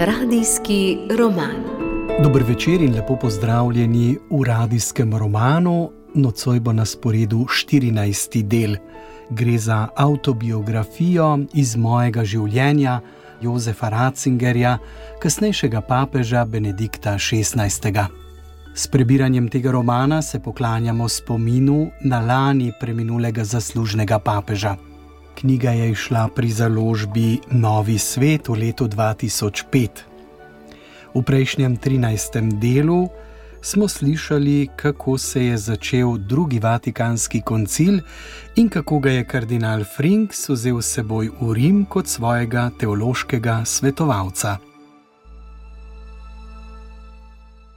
Radijski roman. Dober večer in lepo pozdravljeni v radijskem romanu. Nocoj bo na sporedu 14. del. Gre za avtobiografijo iz mojega življenja Josefa Ratzingerja, kasnejšega papeža Benedikta XVI. S prebiranjem tega romana se poklanjamo spominu na lani preminulega zaslužnega papeža. Knjiga je izšla pri založbi Novi svet v letu 2005. V prejšnjem 13. delu smo slišali, kako se je začel drugi vatikanski koncil in kako ga je kardinal Frings vzel s seboj v Rim kot svojega teološkega svetovalca.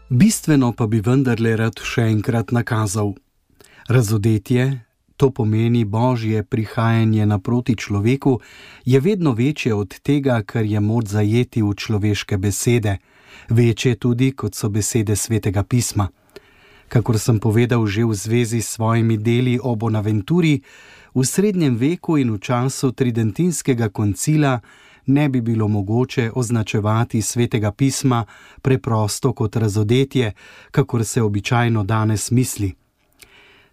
Bistveno pa bi vendarle rad še enkrat nakazal. Razodetje, to pomeni Božje prihajanje naproti človeku, je vedno večje od tega, kar je moč zajeti v človeške besede, večje tudi, kot so besede Svetega pisma. Kakor sem povedal že v zvezi s svojimi deli o Bonaventuri, v srednjem veku in v času tridentinskega koncila ne bi bilo mogoče označevati Svetega pisma preprosto kot razodetje, kakor se običajno danes misli.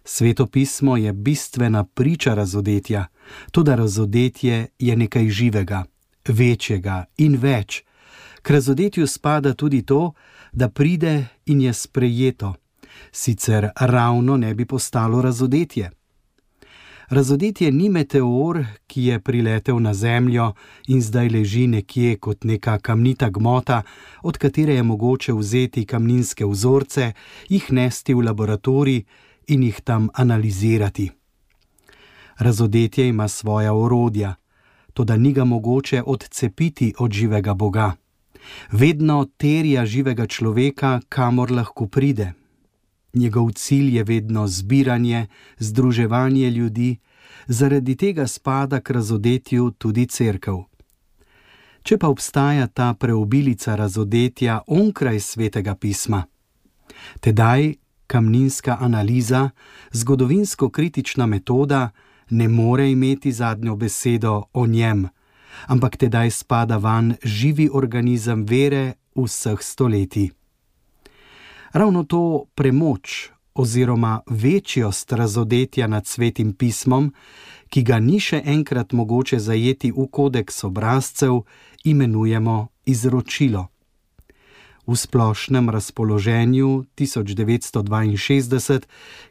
Sveto pismo je bistvena priča razodetja, toda razodetje je nekaj živega, večjega in več. K razodetju spada tudi to, da pride in je sprejeto, sicer ravno ne bi postalo razodetje. Razodetje ni meteor, ki je priletel na zemljo in zdaj leži nekje kot neka kamnita gmota, od katere je mogoče vzeti kamninske vzorce, jih nesti v laboratorij in jih tam analizirati. Razodetje ima svoja orodja, toda ni ga mogoče odcepiti od živega Boga. Vedno terja živega človeka, kamor lahko pride. Njegov cilj je vedno zbiranje, združevanje ljudi, zaradi tega spada k razodetju tudi cerkev. Če pa obstaja ta preobilica razodetja onkraj Svetega pisma, tedaj kamninska analiza, zgodovinsko-kritična metoda ne more imeti zadnjo besedo o njem, ampak tedaj spada vanj živi organizem vere vseh stoletij. Ravno to premoč oziroma večjost razodetja nad Svetim pismom, ki ga ni še enkrat mogoče zajeti v kodeks obrazcev, imenujemo izročilo. V splošnem razpoloženju 1962,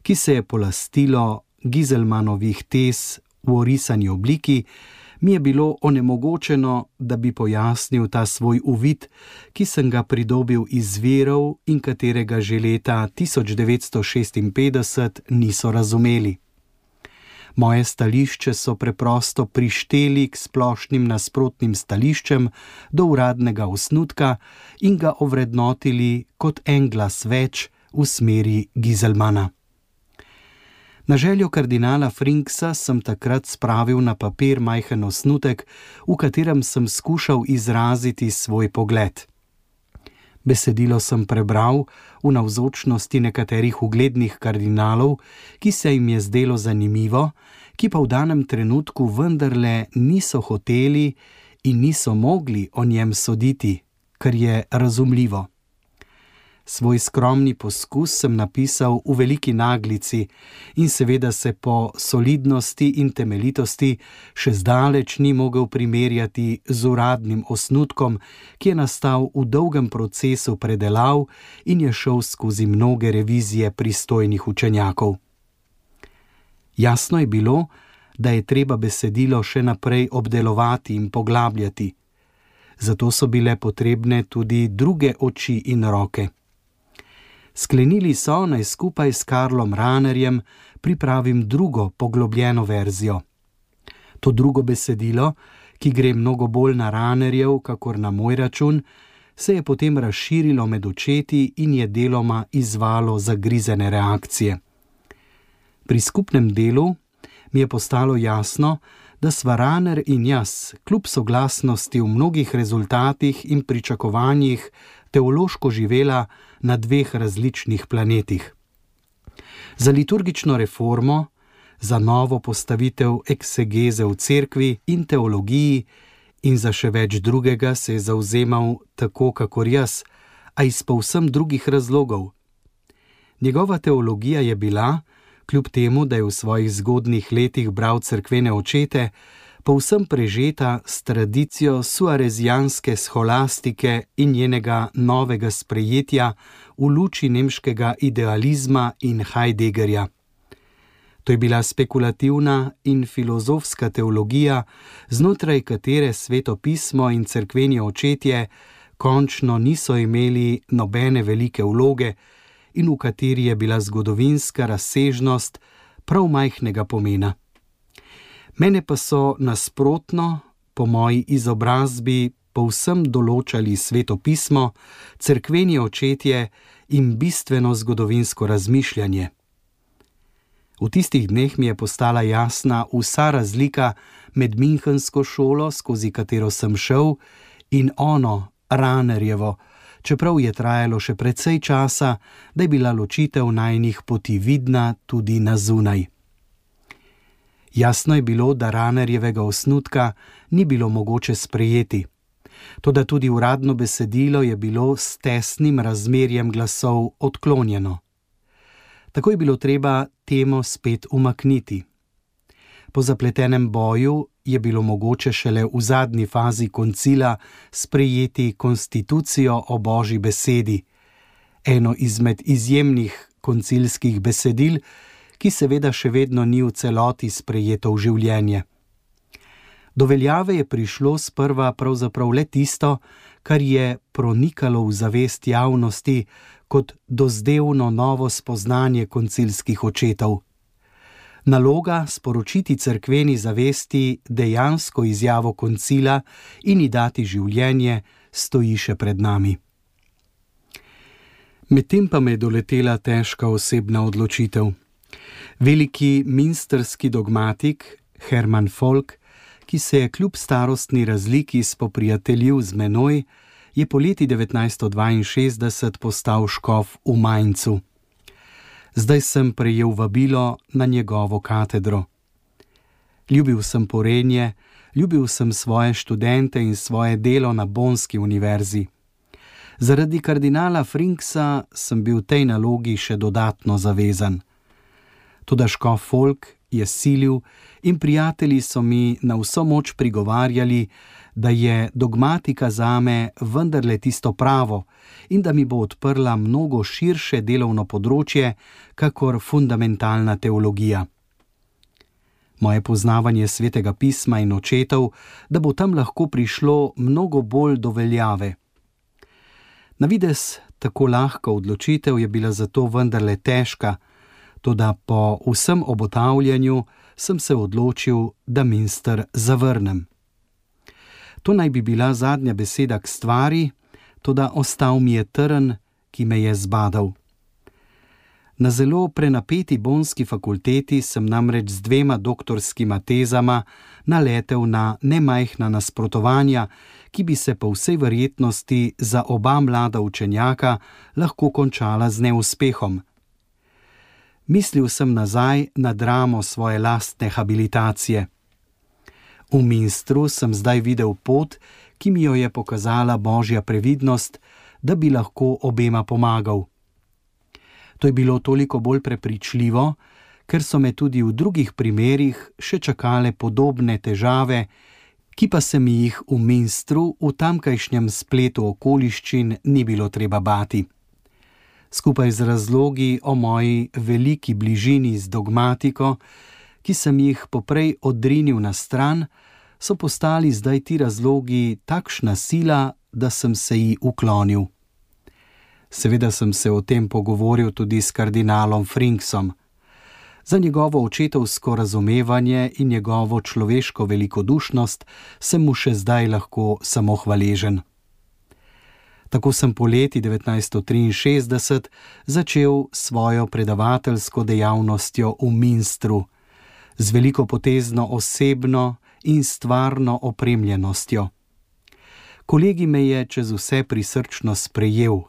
ki se je polastilo Giselmanovih tez v orisani obliki, mi je bilo onemogočeno, da bi pojasnil ta svoj uvid, ki sem ga pridobil iz virov in katerega že leta 1956 niso razumeli. Moje stališče so preprosto prišteli k splošnim nasprotnim stališčem do uradnega osnutka in ga ovrednotili kot en glas več v smeri Giselmana. Na željo kardinala Fringsa sem takrat spravil na papir majhen osnutek, v katerem sem skušal izraziti svoj pogled. Besedilo sem prebral v navzočnosti nekaterih uglednih kardinalov, ki se jim je zdelo zanimivo, ki pa v danem trenutku vendarle niso hoteli in niso mogli o njem soditi, kar je razumljivo. Svoj skromni poskus sem napisal v veliki naglici in seveda se po solidnosti in temeljitosti še zdaleč ni mogel primerjati z uradnim osnutkom, ki je nastal v dolgem procesu predelav in je šel skozi mnoge revizije pristojnih učenjakov. Jasno je bilo, da je treba besedilo še naprej obdelovati in poglabljati. Zato so bile potrebne tudi druge oči in roke. Sklenili so, naj skupaj s Karlom Ranerjem pripravim drugo poglobljeno verzijo. To drugo besedilo, ki gre mnogo bolj na Ranerjev, kakor na moj račun, se je potem razširilo med očeti in je deloma izzvalo zagrizene reakcije. Pri skupnem delu mi je postalo jasno, da sva Raner in jaz, kljub soglasnosti v mnogih rezultatih in pričakovanjih, teološko živela na dveh različnih planetih. Za liturgično reformo, za novo postavitev eksegeze v cerkvi in teologiji In za še več drugega se je zavzemal tako kakor jaz, a iz povsem drugih razlogov. Njegova teologija je bila, kljub temu, da je v svojih zgodnjih letih bral cerkvene očete, povsem prežeta s tradicijo suarezijanske scholastike in njenega novega sprejetja v luči nemškega idealizma in Heideggerja. To je bila spekulativna in filozofska teologija, znotraj katere Sveto pismo in cerkveni očetje končno niso imeli nobene velike vloge in v kateri je bila zgodovinska razsežnost prav majhnega pomena. Mene pa so nasprotno, po moji izobrazbi, povsem določali Sveto pismo, cerkveni očetje in bistveno zgodovinsko razmišljanje. V tistih dneh mi je postala jasna vsa razlika med münchensko šolo, skozi katero sem šel, in ono, Rahnerjevo, čeprav je trajalo še precej časa, da je bila ločitev najinih poti vidna tudi na zunaj. Jasno je bilo, da Rahnerjevega osnutka ni bilo mogoče sprejeti, toda tudi uradno besedilo je bilo s tesnim razmerjem glasov odklonjeno. Tako je bilo treba temo spet umakniti. Po zapletenem boju je bilo mogoče šele v zadnji fazi koncila sprejeti konstitucijo o Božji besedi, eno izmed izjemnih koncilskih besedil, ki seveda še vedno ni v celoti sprejeto v življenje. Do veljave je prišlo sprva pravzaprav le tisto, kar je pronikalo v zavest javnosti kot dozdevno novo spoznanje koncilskih očetov. Naloga sporočiti cerkveni zavesti dejansko izjavo koncila in ji dati življenje stoji še pred nami. Medtem pa me je doletela težka osebna odločitev. Veliki münsterski dogmatik Hermann Volk, ki se je kljub starostni razliki spoprijateljil z menoj, je poleti 1962 postal škof v Mainzu. Zdaj sem prejel vabilo na njegovo katedro. Ljubil sem Porenje, ljubil sem svoje študente in svoje delo na Bonski univerzi. Zaradi kardinala Frinksa sem bil tej nalogi še dodatno zavezan. Toda škof Volk je silil in prijatelji so mi na vso moč prigovarjali, da je dogmatika zame vendarle tisto pravo in da mi bo odprla mnogo širše delovno področje, kakor fundamentalna teologija. Moje poznavanje Svetega pisma in očetov, da bo tam lahko prišlo mnogo bolj do veljave. Na videz tako lahka odločitev je bila zato vendarle težka, toda po vsem obotavljanju sem se odločil, da Münster zavrnem. To naj bi bila zadnja beseda k stvari, toda ostal mi je trn, ki me je zbadal. Na zelo prenapeti Bonski fakulteti sem namreč z 2 doktorskima tezama naletel na nemajhna nasprotovanja, ki bi se po vsej verjetnosti za oba mlada učenjaka lahko končala z neuspehom. Mislil sem nazaj na dramo svoje lastne habilitacije. V Münstru sem zdaj videl pot, ki mi jo je pokazala Božja previdnost, da bi lahko obema pomagal. To je bilo toliko bolj prepričljivo, ker so me tudi v drugih primerih še čakale podobne težave, ki pa se mi jih v Münstru v tamkajšnjem spletu okoliščin ni bilo treba bati. Skupaj z razlogi o moji veliki bližini z dogmatiko, ki sem jih poprej odrinil na stran, so postali zdaj ti razlogi takšna sila, da sem se ji uklonil. Seveda sem se o tem pogovoril tudi s kardinalom Frinksom. Za njegovo očetovsko razumevanje in njegovo človeško velikodušnost sem mu še zdaj lahko samo hvaležen. Tako sem poleti 1963 začel svojo predavateljsko dejavnostjo v Münstru, z velikopotezno osebno in stvarno opremljenostjo. Kolegi me je čez vse prisrčno sprejel,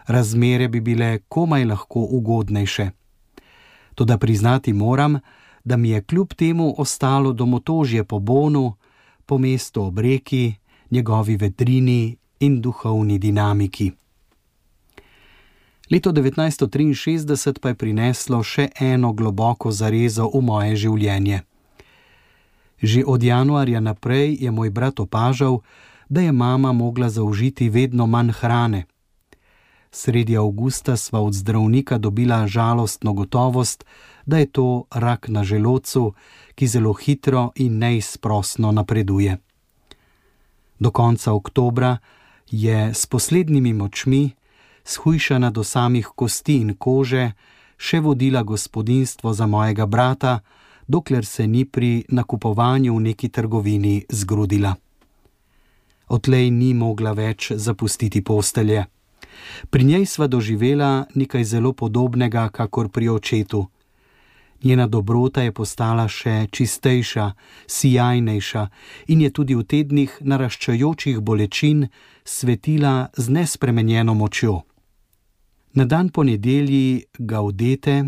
razmere bi bile komaj lahko ugodnejše. Toda priznati moram, da mi je kljub temu ostalo domotožje po Bonu, po mestu ob reki, njegovi vedrini in duhovni dinamiki. Leto 1963 pa je prineslo še eno globoko zarezo v moje življenje. Že od januarja naprej je moj brat opažal, da je mama mogla zaužiti vedno manj hrane. Sredi avgusta sva od zdravnika dobila žalostno gotovost, da je to rak na želodcu, ki zelo hitro in neizprosno napreduje. Do konca oktobra je s poslednjimi močmi, shujšana do samih kosti in kože, še vodila gospodinjstvo za mojega brata, dokler se ni pri nakupovanju v neki trgovini zgrudila. Odtlej ni mogla več zapustiti postelje. Pri njej sva doživela nekaj zelo podobnega kakor pri očetu. Njena dobrota je postala še čistejša, sijajnejša in je tudi v tednih naraščajočih bolečin svetila z nespremenjeno močjo. Na dan po nedelji Gaudete,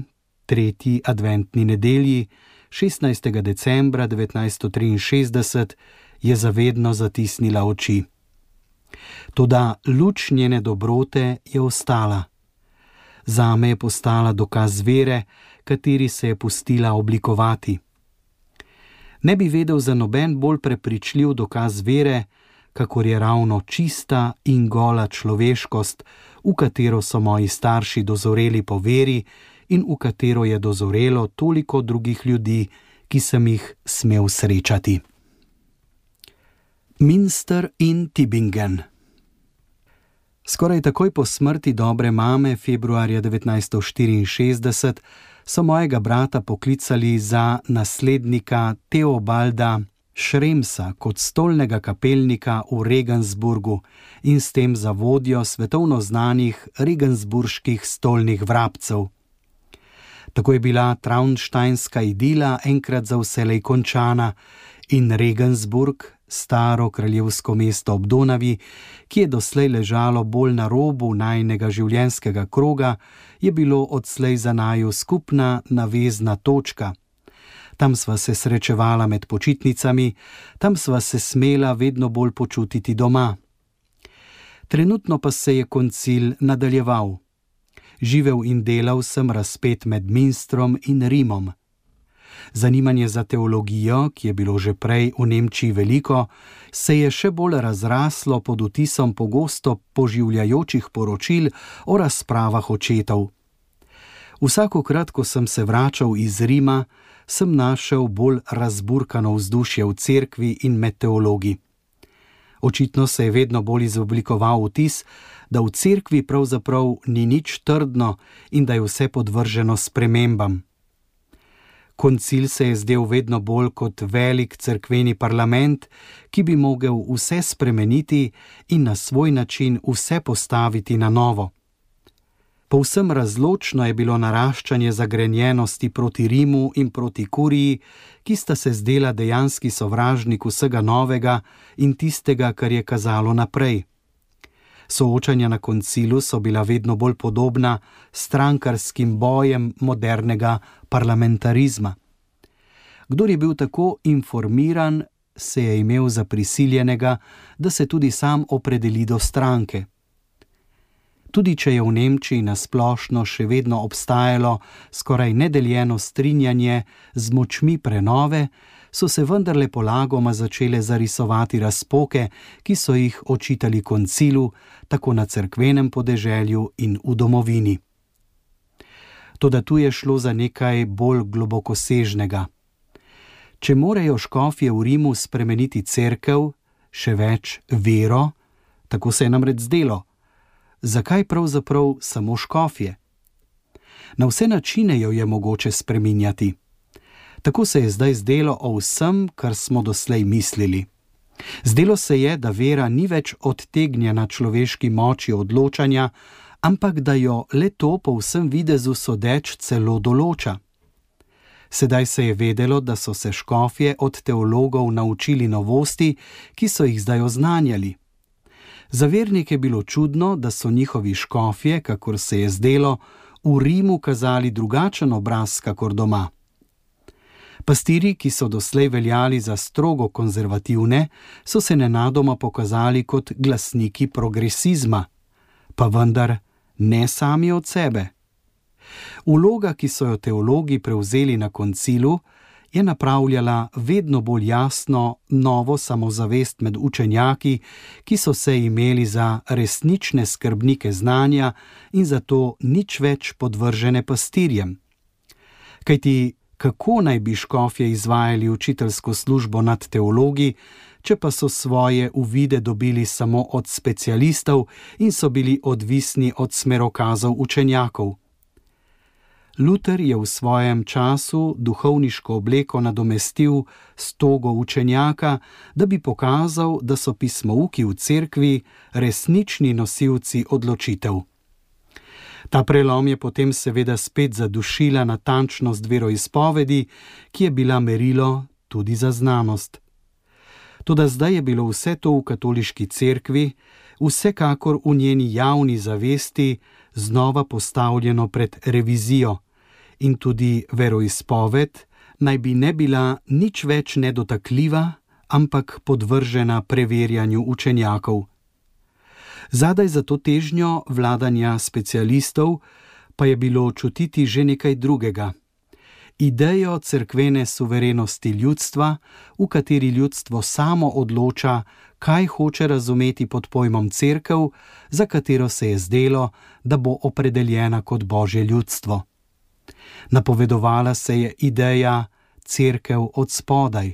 3. adventni nedelji, 16. decembra 1963, je zavedno zatisnila oči. Toda luč njene dobrote je ostala. Zame je postala dokaz vere, kateri se je pustila oblikovati. Ne bi vedel za noben bolj prepričljiv dokaz vere, kakor je ravno čista in gola človeškost, v katero so moji starši dozoreli po veri in v katero je dozorelo toliko drugih ljudi, ki sem jih smel srečati. Münster in Tübingen. Skoraj takoj po smrti dobre mame, februarja 1964, so mojega brata poklicali za naslednika Theobalda Schremsa kot stolnega kapelnika v Regensburgu in s tem za vodjo svetovno znanih regensburških stolnih vrabcev. Tako je bila traunsteinska idila enkrat za vselej končana in Regensburg, staro kraljevsko mesto ob Donavi, ki je doslej ležalo bolj na robu najinega življenjskega kroga, je bilo odslej za naju skupna navezna točka. Tam sva se srečevala med počitnicami, tam sva se smela vedno bolj počutiti doma. Trenutno pa se je koncil nadaljeval. Živel in delal sem razpet med Münstrom in Rimom. Zanimanje za teologijo, ki je bilo že prej v Nemčiji veliko, se je še bolj razraslo pod vtisom pogosto poživljajočih poročil o razpravah očetov. Vsakokrat, ko sem se vračal iz Rima, sem našel bolj razburkano vzdušje v cerkvi in med teologi. Očitno se je vedno bolj izoblikoval vtis, da v cerkvi pravzaprav ni nič trdno in da je vse podvrženo spremembam. Koncil se je zdel vedno bolj kot velik cerkveni parlament, ki bi mogel vse spremeniti in na svoj način vse postaviti na novo. Povsem razločno je bilo naraščanje zagrenjenosti proti Rimu in proti Kuriji, ki sta se zdela dejanski sovražnik vsega novega in tistega, kar je kazalo naprej. Soočanja na koncilu so bila vedno bolj podobna strankarskim bojem modernega parlamentarizma. Kdor je bil tako informiran, se je imel za prisiljenega, da se tudi sam opredeli do stranke. Tudi če je v Nemčiji nasplošno še vedno obstajalo skoraj nedeljeno strinjanje z močmi prenove, so se vendarle polagoma začele zarisovati razpoke, ki so jih očitali koncilu, tako na cerkvenem podeželju in v domovini. Toda tu je šlo za nekaj bolj globokosežnega. Če morajo škofje v Rimu spremeniti cerkev, še več vero, tako se je namreč zdelo, zakaj pravzaprav samo škofje? Na vse načine jo je mogoče spreminjati. Tako se je zdaj zdelo o vsem, kar smo doslej mislili. Zdelo se je, da vera ni več odtegnjena človeški moči odločanja, ampak da jo le to po vsem videzu sodeč celo določa. Sedaj se je vedelo, da so se škofje od teologov naučili novosti, ki so jih zdaj oznanjali. Za vernike je bilo čudno, da so njihovi škofje, kakor se je zdelo, v Rimu kazali drugačen obraz kakor doma. Pastirji, ki so doslej veljali za strogo konzervativne, so se nenadoma pokazali kot glasniki progresizma, pa vendar ne sami od sebe. Vloga, ki so jo teologi prevzeli na koncilu, je napravljala vedno bolj jasno novo samozavest med učenjaki, ki so se imeli za resnične skrbnike znanja in zato nič več podvržene pastirjem. Kajti kako naj bi škofje izvajali učiteljsko službo nad teologi, če pa so svoje uvide dobili samo od specialistov in so bili odvisni od smerokazov učenjakov? Luther je v svojem času duhovniško obleko nadomestil s togo učenjaka, da bi pokazal, da so pismouki v cerkvi resnični nosilci odločitev. Ta prelom je potem seveda spet zadušila natančnost veroizpovedi, ki je bila merilo tudi za znanost. Toda zdaj je bilo vse to v katoliški cerkvi, vsekakor v njeni javni zavesti, znova postavljeno pred revizijo, in tudi veroizpoved naj bi ne bila nič več nedotakljiva, ampak podvržena preverjanju učenjakov. Zadaj za to težnjo vladanja specialistov pa je bilo čutiti že nekaj drugega. Idejo cerkvene suverenosti ljudstva, v kateri ljudstvo samo odloča, kaj hoče razumeti pod pojmom cerkev, za katero se je zdelo, da bo opredeljena kot Božje ljudstvo. Napovedovala se je ideja cerkev od spodaj,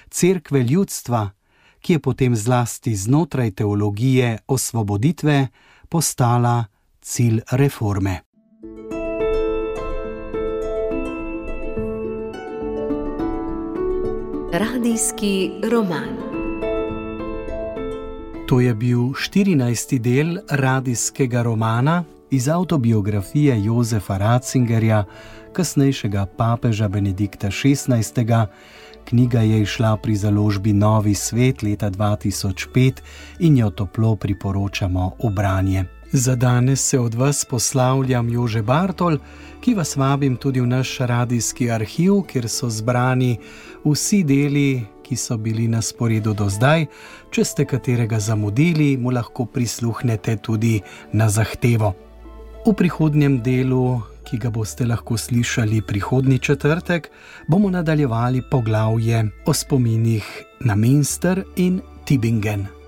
cerkve ljudstva, ki je potem zlasti znotraj teologije osvoboditve postala cilj reforme. Radijski roman. To je bil 14. del radijskega romana iz avtobiografije Josefa Ratzingerja, kasnejšega papeža Benedikta XVI. Knjiga je izšla pri založbi Novi svet leta 2005 in jo toplo priporočamo v branje. Za danes se od vas poslavljam Jože Bartol, ki vas vabim tudi v naš radijski arhiv, kjer so zbrani vsi deli, ki so bili na sporedu do zdaj. Če ste katerega zamudili, mu lahko prisluhnete tudi na zahtevo. V prihodnjem delu, ki ga boste lahko slišali prihodnji četrtek, bomo nadaljevali poglavje o spominih na Münster in Tübingen.